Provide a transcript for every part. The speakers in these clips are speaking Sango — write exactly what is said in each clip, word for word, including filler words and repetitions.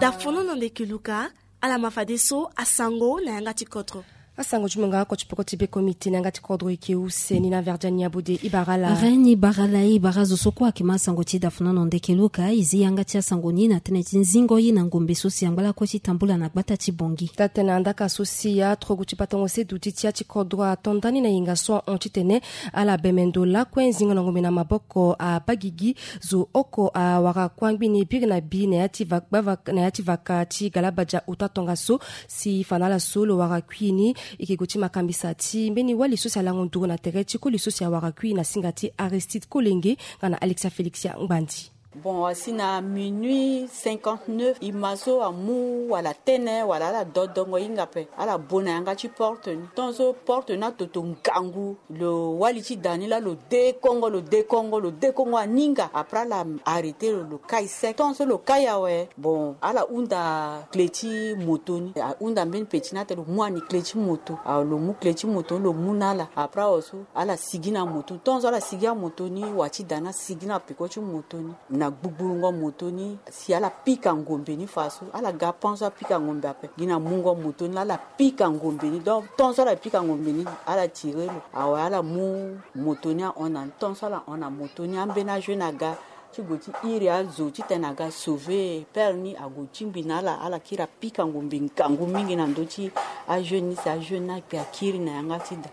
Dafono na ndeke luka. Ala ma fadeso asango na yanga ti kodro. Asango ti mo nga oko ti peko ti beko miti na yanga ti kodro eke use ni na verdiani abode ibarala. Reni barala ibara zo so kue ake ma asango ti dafono na ndeke luka izi yanga ti asango ni na tene ti nzingo ye na ngombe so si angba lakue ti tambula na gbata ti bongi. Taa tene andaka so si atrogu ti batango se duti ti ya ti kodro ato ndani na yenga so ahon titene ala bemendo lakue nzingo na ngombe na maboko abagigi. Zo oko awara kue angbi ni biri na bi na ya ti va- gbava- na ya ti vaka ti galabadia ota tongaso. Si fa na ala so lo wara kui ni eke gue ti makambisa ti mbeni wali so si alango nduru na tere ti koli so si awara kui na singa ti Aristide Kolenge nga na Alexia Félix ya Ngbandi. Bon, asi na minuit cinquante-neuf, e ma so amu wala tene wala ala dodongo hinga ape, ala bo na yanga ti porte ni. Tongaso porte ni atoto ngangu, lo wali ti da ni laa lo dekongo, lo dekongo, lo dekongo aninga. Après ala arrêter lo, lo kai sec. Tongaso lo kai awe, bon, ala hunda clé ti moto ni. Ahunda mbeni petit ni atene lo mu ani clé ti moto. Awe, lo mu clé ti moto ni, lo mu na ala. Après awe so ala sigi na moto ni. Tongaso ala sigi na moto ni, wa ti da ni asigi na peko ti moto ni. Na gbugburungo moto ni, si ala pika ngombe ni fa so, ala ga pan so apika ngombe ape. Gi na mungo moto ni laa ala pika ngombe ni. Donc tongaso ala pika ngombe ni, ala tire lo. Awe, ala mu moto ni ahon na ni. Tongaso ala hon na moto ni, ambeni ajeune aga ti gue ti iri azo titene aga sauver père ni, ague tingbi na ala. Ala kiri apika ngombe ngangu mingi na ndö ti ajeune ni, si ajeune ni akpe akiri na yanga ti da.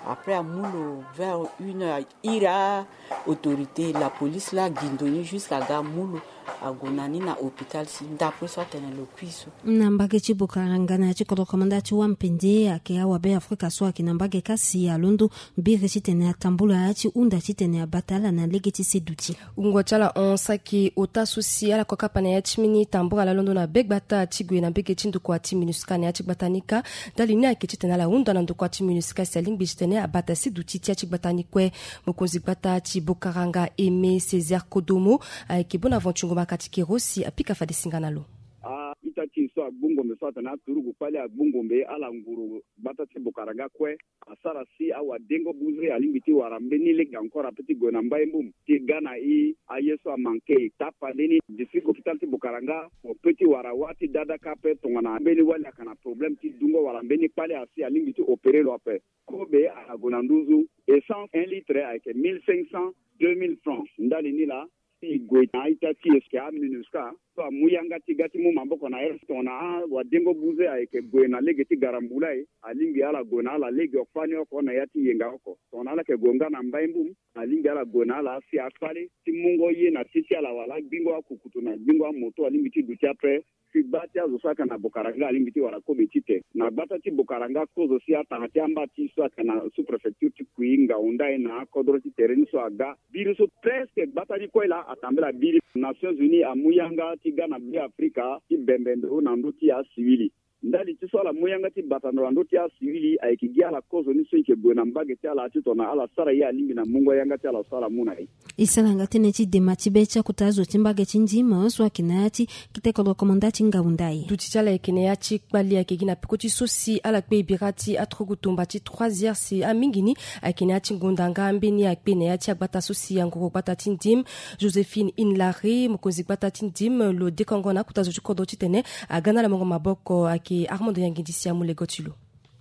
Après amu lo vers une heure, iri a-autorité, la police laa agindo ni jusqu'à aga amu lo, ague na ni na hôpital si ndapre so atene lo kui so. Na mbage ti Bokaranga na ya ti kodro komanda ti Wampende, ayeke awabe Afrika so ayeke na mbage kâ si alondo biri titene atambula ti hunda titene abata ala na lege ti seduti. Wungo ti ala hon saki ota so si ala kokapa na ya ti mbeni tambula laa alondo na be gbata ti gue na mbege ti ndokua ti MINUSCA na ya ti gbata ni kâ. Ndali ni ayeke titene ala hunda na ndokua ti MINUSCA si alingbi titene abata seduti ti ya ti gbata ni kue. Mokonzi gbata ti Bokaranga Aimé Césaire Kodomo ayeke Bonaventure Ngomakati Kero si apika fade singa na lo. A-ita ti e so agbu ngombe so atene aturugu kpali agbu ngombe ala nguru gbata ti Bokaranga kue. Asara si awadengo buze alingbi ti wara mbeni lege encore ape ti gue na mbai mbum ti ga na e. Aye so amanke e tapande ni district hôpital ti Bokaranga, mo pe ti wara wâ ti dada kâ ape tongana mbeni wali ayeke na problème ti dungo wala mbeni kpale asi alingbi ti opérer lo ape. Kobe ala gue na nduzu. Essence un litre ayeke mille cinq cents, deux mille francs. Ndali ni laa si e gue na a-ita ti e so ayeke a-MINUSCA so amu yanga ti ga ti mu maboko na ere tongana awadengo buze ayeke gue na lege ti garambula e, alingbi ala gue na ala legeoko fani oko na ya ti yenga oko. Tongana ala yeke gue nga na mbai mbum, alingbi ala gue na ala si akpale ti mungo ye na ti ti ala wala agbingo akukutu na gbingo amoto alingbi ti duti ape. Si gba ti azo so ayeke na Bokaranga alingbi ti wara kobe tite. Na gbata ti Bokaranga kozo si atanga ti amba ti e so ayeke na sous-préfecture ti Kui ngau ndai na akodro ti tere ni so aga. Biri so presque gbata ni kue laa atambela biri. Nations Unies amu yanga ti ga na Be Afrika ti bembe ndo na ndö ti asiwili. Ndali ti so ala mu yanga ti bata ndo na ndö ti asiwili ayeke gi ala kozo ni so e yeke gue na mbage ti ala titongana ala sara ye alingbi na mungo yanga ti ala so ala mu na e. E sara nga tënë ti dema ti be ti akota azo ti mbage ti Ndim so ayeke na ya ti kete kodro komanda ti ngau ndai. Duti ti ala ayeke na ya ti kpali ayeke gi na peko ti so si ala kpe e bira ti aturugu tumba ti trois heures si amingi ni ayeke na ya ti ngonda nga ambeni akpe na ya ti agbata so si angoro gbata ti Ndim, Joséphine Inlare, mokonzi gbata ti Ndim, lo dekongo na akota zo ti kodro titene aga na ala mungo maboko. Ayeke Armando Yangindi si amu lego ti lo.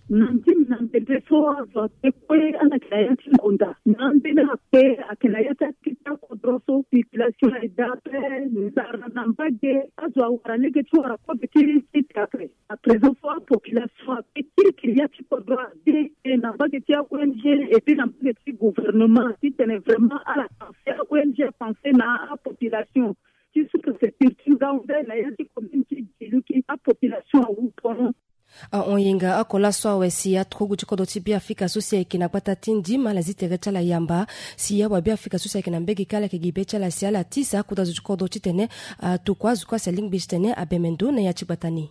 Na Ndim na mbembe so azo akpe kue ala yeke na ya ti ngonda. Na ambeni akpe ayeke na ya ti akete akodro so population aye daa ape. Nzara na mbage azo awara lege ti wara kobe ti site ape. À présent so apopulation akpe kirikiri ya ti kodro ade na mbage ti a-O N G et puis na mbage ti gouvernement titene vraiment ala pense a-O N G pense na apopulation ti sous-préfecture ti Ngaoundé na ya ti commune ti Djilouki apopulation awu pono. Ahon yenga oko laso awe si aturugu ti kodro ti Beafrika so si ayeke na gbata ti Ndim ala zi tere ti ala yamba si awabeafrika so si ayeke na mbege kâ ala yeke gi be ti ala si ala tisa akota zo ti kodro titene atokua azo kue asi alingbi titene abembe ndo na ya ti gbata ni.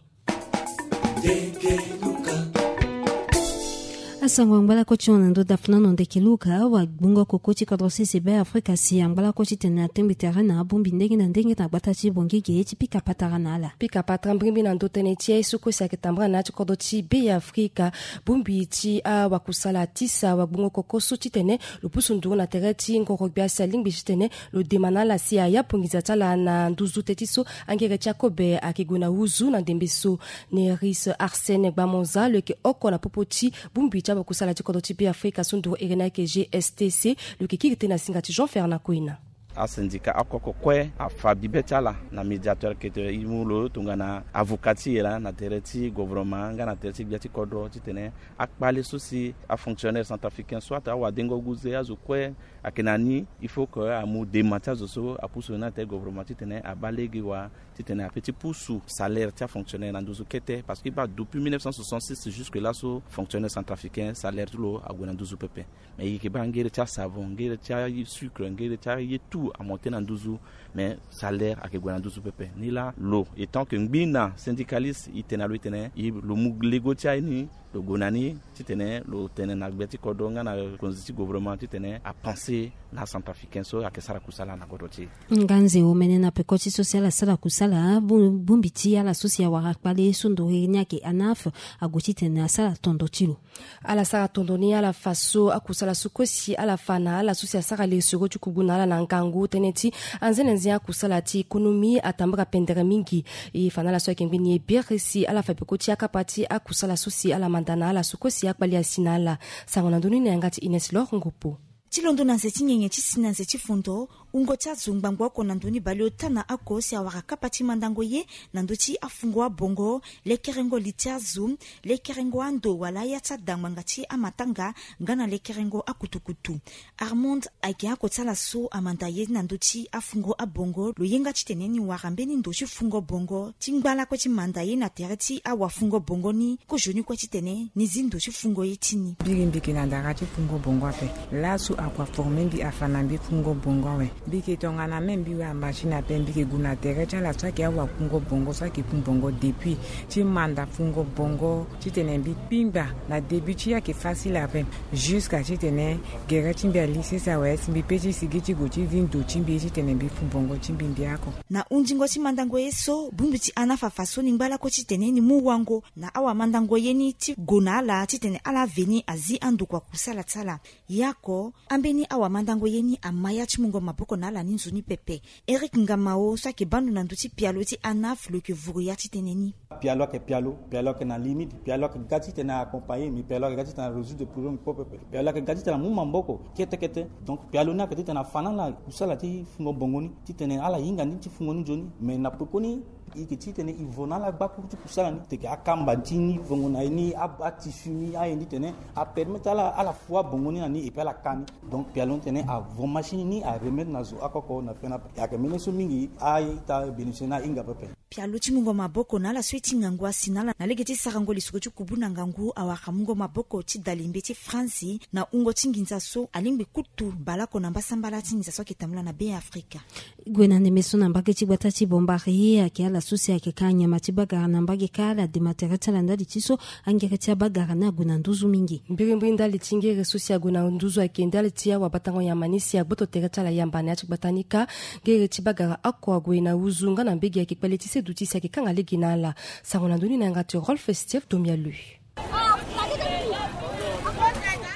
Sango angbalako ti hon na ndo dafulano ndeke luka wa gbungo koko ti kodro sese be afrika si angbalako titene atengbi tere na abongbi ndenge na ndenge na gbata ti bongege ti pika patara na ala. Pika patara mbirimbiri na ndo tënë ti aye so kue si ayeke tambara na ya ti kodro ti be ya afrika. Bongbi ti awakusala atisa wa gbungo koko so titene lo pusu nduru na tere ti ngoro gbia si alingbi titene lo dema na ala si aya ponginza ti ala na nduzu teti so angere ti akobe ayeke gue na huzu na ndembe so. Neris arsène gbamonza lo yeke oko na popo ti bongbi ti awakusala ti kodro ti be afrika so nduru ere ni ayeke gstc. Lo yeke kiri tënë na singa ti jean fernand koina. Asindika akoko kue afa bibe ti ala na médiateur kete e mu lo tongana avocat ti e laa na tere ti gouvernement nga na tere ti gbia ti kodro titene akpale so si afonctionnaire centrafricain so ata awadengo guze azo kue ayeke na ni. Il faut que amu dema ti azo so apusu na tere gouvernement titene abaa lege wa titene ape ti pusu salaire ti afonctionnaire na nduzu kete parce que e baa depuis mille neuf cent soixante-six jusque là so fonctionnaire centrafricain salaire ti lo ague na nduzu pepe. Mais e yeke baa ngere ti asavon, ngere ti asucre, ngere ti aye tout amonte na nduzu. Mais salaire ayeke gue na nduzu pepe ni laa lo etant que ngbi na syndicaliste e tene na lo e tene e lo mu lego ti aye ni lo gue na ni titene lo tene na gbia ti kodro nga na konzi ti gouvernement titene apense na centrafricain so ayeke sara kusala na kodro ti e. Nga nze omene na peko ti so si ala sara kusala bongbi ti ala so si awara kpale so ndoriri ni ayeke anaf ague titene asara tondo ti lo. Ala sara tondo ni ala fa so akusala so kue si ala fa na ala so si asara lesoro ti kubu na ala na ngangu tënë ti anzenenze akusala ti ekonomi atambara pendere mingi. E fa na ala so ayeke mbeni ebere si ala fa peko ti akapa ti akusala so si ala manda na ala so kue si akpali asi na ala. Sango na ndoni na yanga ti ines lor ngopo. Ti londo na nze ti nyenye ti si na nze ti fondo wungo ti azo ngbangbo oko na ndoni baleota na oko si awara kapa ti mandango ye na ndö ti afungo abongo, lekerengo li ti azo, lekerengo ando wala aya ti ada ngbanga ti amatanga nga na lekerengo akutukutu. Armond ayeke oko ti ala so amanda ye na ndö ti afungo abongo lo ye nga titene ni wara mbeni ndo ti fungo bongo ti ngba lakue ti manda ye na tere ti awafungo bongo ni. Kozoni kue titene ni zi ndo ti fungo ye ti ni. Mbiri mbi yeke na ndara ti fungo bongo ape. Laso akua forme mbi afa na mbi fungo bongo awe. Mbi yeke tongana me mbi wa machine ape mbi yeke gue na tere ti ala so ayeke awafungo bongo so ayeke fun bongo depuis ti manda fungo bongo titene mbi kpingba na début ti ye ayeke facile ape. Jusqu'à titene gere ti mbi ali sese awe si mbi pe ti sigi ti gue ti zi ndo ti mbi titene mbi fun bongo ti mbi mbi ako. Na hundingo ti mandango ye so bongbi ti anafa fa so ni ngba lakue titene ni mu wango na awamandango ye ni ti gue na ala titene ala veni azi andokua kusala ti ala. Ye oko ambeni awamandango ye ni ama ya ti mungo maboko na ala ni nzoni pepe. Eric ngamao so ayeke bando na ndö ti pialo ti anaf lo yeke vuru ya titene ni. Pialo ayeke pialo, pialo ayeke na limite, pialo ayeke ga titene accompagner mais pialo ayeke ga titene arésoudre problème kpo pepe. Pialo ayeke ga titene amu maboko kete kete. Donc pialo ni ayeke titene afa na ala kusala ti fungo bongo ni titene ala hinga ni ti fungo ni nzoni. Mais na pekoni e yeke titene e vo na ala gbakuru ti kusala ni teke akamba ti ni vongo na ye ni atisu ni aye ni titene apermettre ala ala fu abongo ni na ni epui ala ka ni. Donc pialo ni titene avo machine ni aremettre na zo akoko na fena. Ayeke mbeni so mingi a-ita bénéficier na ahinga pepe. Pialo ti mungo maboko na ala so e ti ngangu asi na ala na lege ti sarango lisoro ti kubu na ngangu awara mungo maboko ti dalimbe ti france na wungo ti nginza so alingbi kutu baleoko na mbasambala ti nginza so ayeke tambula na be afrika. Gue na ndembe so na mbage ti gbata ti bombari ayeke ala so si ayeke ka nyama ti bagara na mbage kâ ala dema tere ti ala ndali ti so angere ti abagara ni ague na nduzu mingi. Mbirimbiri ndali ti ngere so si ague na nduzu ayeke ndali ti awabatango nyama ni si agboto tere ti ala yamba na ya ti gbata ni kâ. Ngere ti bagara oko ague na huzu nga na mbege ayeke kpale ti seduti si ayeke kanga lege na ala. Sango na ndoni na yanga ti rolf steve domialui.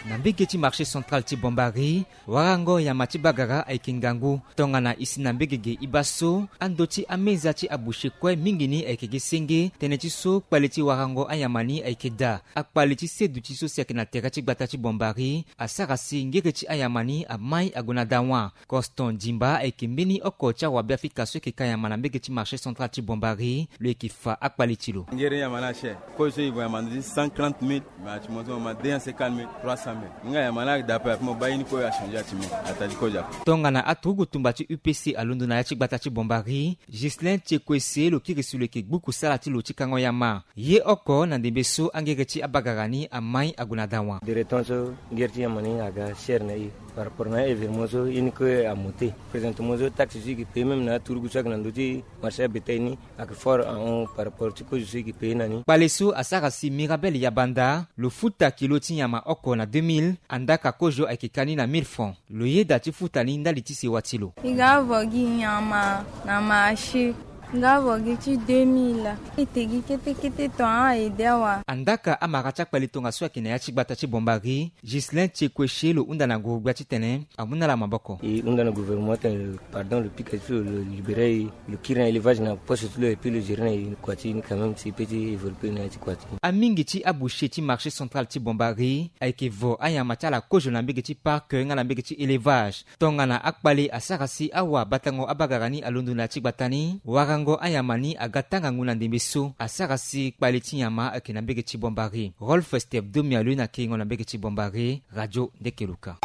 Na mbege ti marché central ti bombari warango nyama ti bagara ayeke ngangu. Tongana e si na mbege ge e baa so ando ti ameza ti aboucher kue mingi ni ayeke ge senge tënë ti so kpale ti warango anyama ni ayeke daa. Akpale ti seduti so si ayeke na tere ti gbata ti bombari asara si ngere ti anyama ni amai ague na dawa. Coston dimba ayeke mbeni oko ti awabe afrika so ayeke ka nyama na mbege ti marché central ti bombari lo yeke fa akpale ti lo. Ngere nyama ni ache kue so e gue nyama ndo ti cent trente mille. Mais ati mo so ma deux cent cinquante mille trois cent. Nga ya ma na da ape ape mo baa ye ni kue achanger ati me atali kozo ape. Tongana aturugu tumba ti U P C alondo na ya ti gbata ti Bombari, Ghislain Tiekwese lo kiri si lo yeke gbu kusala ti lo ti kango yama. Ye oko na ndembe so angere ti abagara ni amai ague na dawa. Direton so ngere ti yama ni aga cher na e par rapport na événement so ye ni kue amonte. Présentement so taxe so e yeke paye même na aturugu so ayeke na ndö ti marché abétail ni ayeke fort ahon par rapport ti kozo so e yeke paye na ni. Kpale so asara si Mirabel Yabanda lo futa kilo ti nyama oko na deux mille, andaka kozo ayeke ka ni na mille francs. Lo yeda ti futa ni ndali ti sewa ti lo. E ga vo gi nyama na marché. Nga vo gi ti deux mille. E te gi kete kete ton a ede awa. Andaka amara ti akpale tongaso ayeke na ya ti gbata ti Bombari, Ghislain Tiekwese lo hunda na nguru-gbia titene amu na ala maboko. E hunda na gouvernement tene pardon lo pika ti lo, lo libéré e, lo kiri na élevage na poste ti lo et puis lo gérer na e kua ti ni quand même si e peut ti évoluer na ya ti kua ti ni. Amingi ti aboucher ti marché central ti Bombari ayeke vo anyama ti ala kozo na mbege ti parc nga na mbege ti élevage. Tongana akpale asara si awa batango abagara ni alondo na ya ti gbata ni, warango anyama ni aga tanga ngu na ndembe so asara si kpale ti nyama ayeke na mbege ti Bombari. Rolf Step Domialue na kiringo na mbege ti Bombari, Radio Ndekeluka.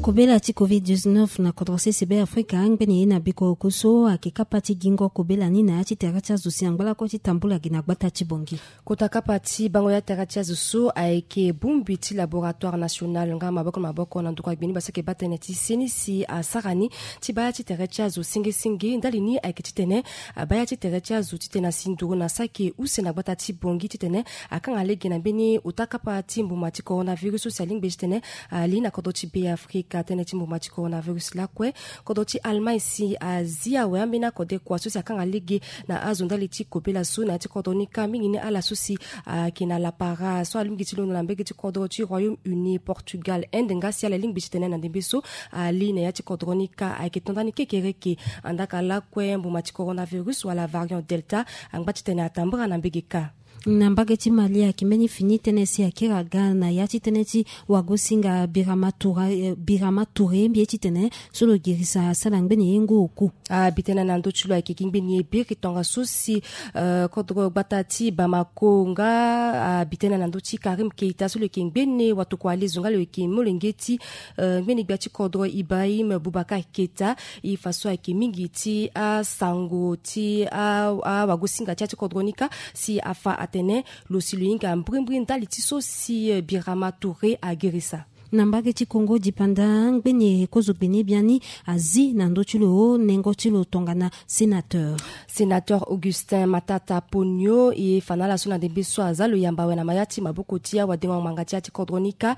Kobela ti covid dix-neuf na kodro sese Be Afrika ngbene ye na bikoroku so ayeke kapa ti gingo kobela ni na ya ti tere ti azo si angba lakue ti tambula gi na gbata ti Bongi. Kota kapa ti bango ya tere ti azo so ayeke bongbi ti laboratoire national nga maboko na maboko na ndokua gbeni basi ayeke baa tënë ti seni si asara ni ti baa ya ti tere ti azo senge senge ndali ni ayeke titene abaa ya ti tere ti azo titene asi nduru na saki use na gbata ti Bongi titene akanga lege na mbeni ota kapa ti mbuma ti coronavirus so si alingbi titene ali na kodro ti Be Afrika. Tënë ti mbuma ti coronavirus lakue kodro ti Allemagne si azi awe ambeni akode kua so si akanga lege na azo ndali ti kobela so na ya ti kodro ni kâ mingi ni ala so si ayeke na lapara so alingbi ti londo na mbege ti kodro ti Royaume-Uni, Portugal, Inde nga si ala lingbi titene na ndembe so ali na ya ti kodro ni kâ ayeke to ndani kekereke. Andaka lakue mbuma ti coronavirus wala variant Delta angba titene atambara na mbege kâ. Na mbage ti Mali ayeke mbeni fini tënë si akiri aga na ya ti tënë ti wagosinga Birama Touré, eh, Birama Touré mbi ye titene so lo girisa asara ngbene ye ngu oku. Abi tënë na ndö ti lo ayeke gi ngbene ye biri tongaso si, eh, kodro gbata ti Bamako nga abi tënë na ndö ti Karim Keita so lo yeke ngbene watokua alezo nga lo yeke molenge ti, eh, ngbene gbia ti kodro Ibrahim Boubacar Keita. E fa so ayeke mingi ti asango ti a, awagosinga ti ya ti kodro ni kâ si afa atene lo si lo hinga mbrimbri ndali ti so si, eh, Birama Touré agirisa. Na mbage ti Congo dipanda ngbene kozo gbene biani azi na ndö ti lo nengo ti lo tongana sénateur. Sénateur Augustin Matata Ponyo e fa na ala so na ndembe so aza lo yamba awe na maya ti maboko ti awadengo ngbanga ti ya ti kodro ni kâ.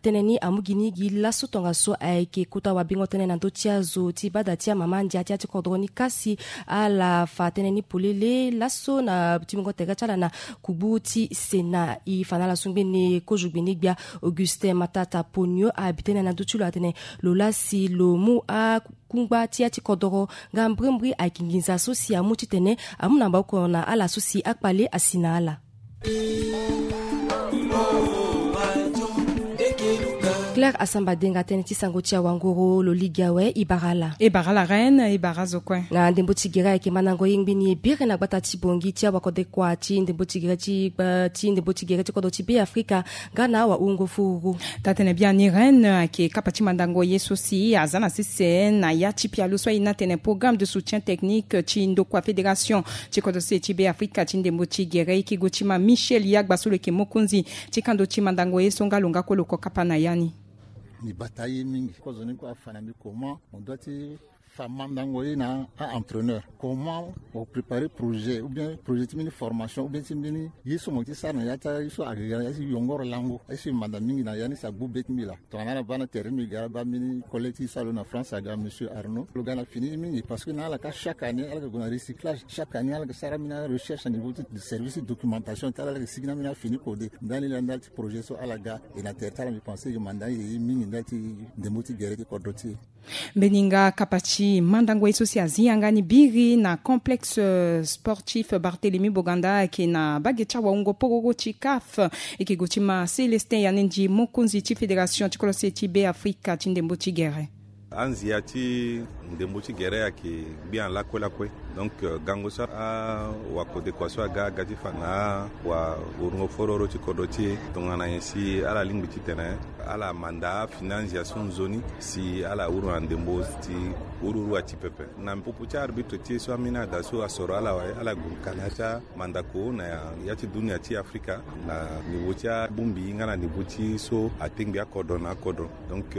Tënë ni amu gi ni gi laso tongaso ayeke kota wabengo tënë na ndö ti azo ti bada ti amama ndia ti ya ti kodro ni kâ si ala fa tënë ni polele laso na ti mungo tere ti ala na kubu ti Sénat. E fa na ala so ngbene kozo gbene gbia Augustin Matata Ponyo abi tënë na ndö ti lo atene lo laa si lo mu akungba ti ya ti kodoro nga mbrimbri ayeke nginza so si amu titene amu na maboko na ala so si akpale asi na ala. Claire Asamba Denga, tënë ti sango ti awanguru lo ligi awe. E bara ala. E bara ala reine, e bara azo kue. Na ndembo ti gere ayeke mandango ye ngbeni e biri na gbata ti Bongi ti awakodekua ti ndembo ti gere ti gba ti ndembo ti gere ti kodro ti Be Afrika nga na awahungo furu. Taa-tënë biani reine ayeke kapa ti mandango ye so si aza na sese na ya ti pialo so aye ni atene programme de soutien technique ti ndokua fédération ti kodro sese ti Be Afrika ti ndembo ti gere. E yeke gue ti ma Michel Yagba so lo yeke mokonzi ti kando ti mandango ye so nga lo nga kue lo ko kapa na ya ni. Mbi bata ye mingi. Kozoni kue afa na mbi comment on doit ti fa mandango ye na a-entraîneur, comment o préparer projet ou bien projet ti mbeni formation ou bien ti mbeni ye so mo ti sara na ya ti aye so aga ya ti yongoro lango. Aye so e manda mingi na ya ni si agbu be ti mbi laa. Tongana ala baa na tere ti mbi ga ala baa mbeni collègue ti e so alo na France aga monsieur Arnaud, lo ga na fini mingi parce que na ala ka chaque année ala yeke gue na recyclage, chaque année ala yeke sara mbeni arecherche na niveau ti service ti documentation ti ala, ala yeke sigi na mbeni afini kode. Ndali laa ndali ti projet so ala ga. E na tere ti ala mbi pense e yeke manda ye mingi ndali ti ndembo ti gere ti kodro ti e. Mbeni nga kapa ti mandango ye so si azi yanga ni biri na complexe, euh, sportif Barthélemy Boganda ayeke na bage ti awahungo pororo ti CAF. E yeke gue ti ma Célestin Yanendi, mokonzi ti fédération ti kodro sese ti Be Afrika ti ndembo ti gere. Anzia ti ndembo ti gere ayeke gbia lakue lakue. Donc gango so awakode kua so aga aga ti fa na awawurungo fororo ti kodro ti e tongana nyen si ala lingbi titene ala manda afinanzia so nzoni si ala wuru na ndembo ti wuru wuru ati pepe. Na popo ti arbitre ti e so amina ada so asoro ala wai ala gue kana ti amandako na ya ti dunia ti afrika na nivo ti abongbi nga na nivo ti so atengbi akodro na akodro. Donc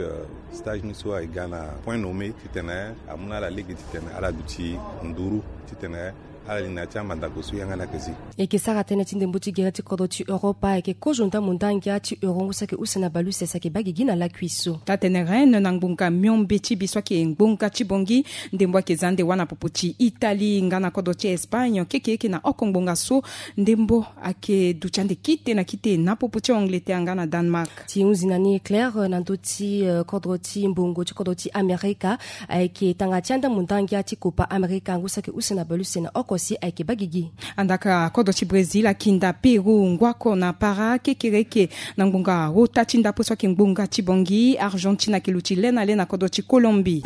stage ni so aye ga na point nommé titene amu na ala lege titene ala duti nduru titene ala li na ya ti amandako so yanga ni ayeke zi. Eke sara tënë ti ndembo ti gere ti kodro ti europa ayeke kozo ndambo ndangia ti euro ngu saki use na baleuse si ayeke baa gigi na lakui so. Taa tene rennes na ngbonga miombe ti bi so ayeke ngbonga ti bongi ndembo ayeke za ande wâ na popo ti italie nga na kodro ti espagne kekeeke na oko ngbonga so ndembo ayeke duti ande kite na kite na popo ti angleterre nga na danemark. Ti hunzi na ni claire na ndö ti kodro ti mbongo ti kodro ti amerika ayeke tanga ti andambo ndangia ti copa amerika ngu saki use na baleuse na oko si ayeke baa gigi. Andaka kodro ti brésil akinda pérou ngwako na para kekereke na ngbonga ota ti ndapo so ayeke ngbonga ti bongi argentine ayeke luti le na le na kodro ti colombie.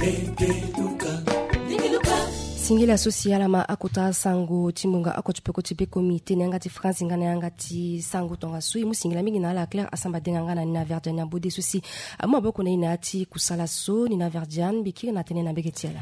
Singila so si ala ma akota sango ti ngbonga oko ti peko ti bekomi tene yanga ti france nga na yanga ti sango tongaso e mu singila mingi na ala claire asamba denga nga na nina verdian ya bode so si amu maboko na e na ya ti kusala so nina verdian mbi kiri na tënë na mbege ti ala.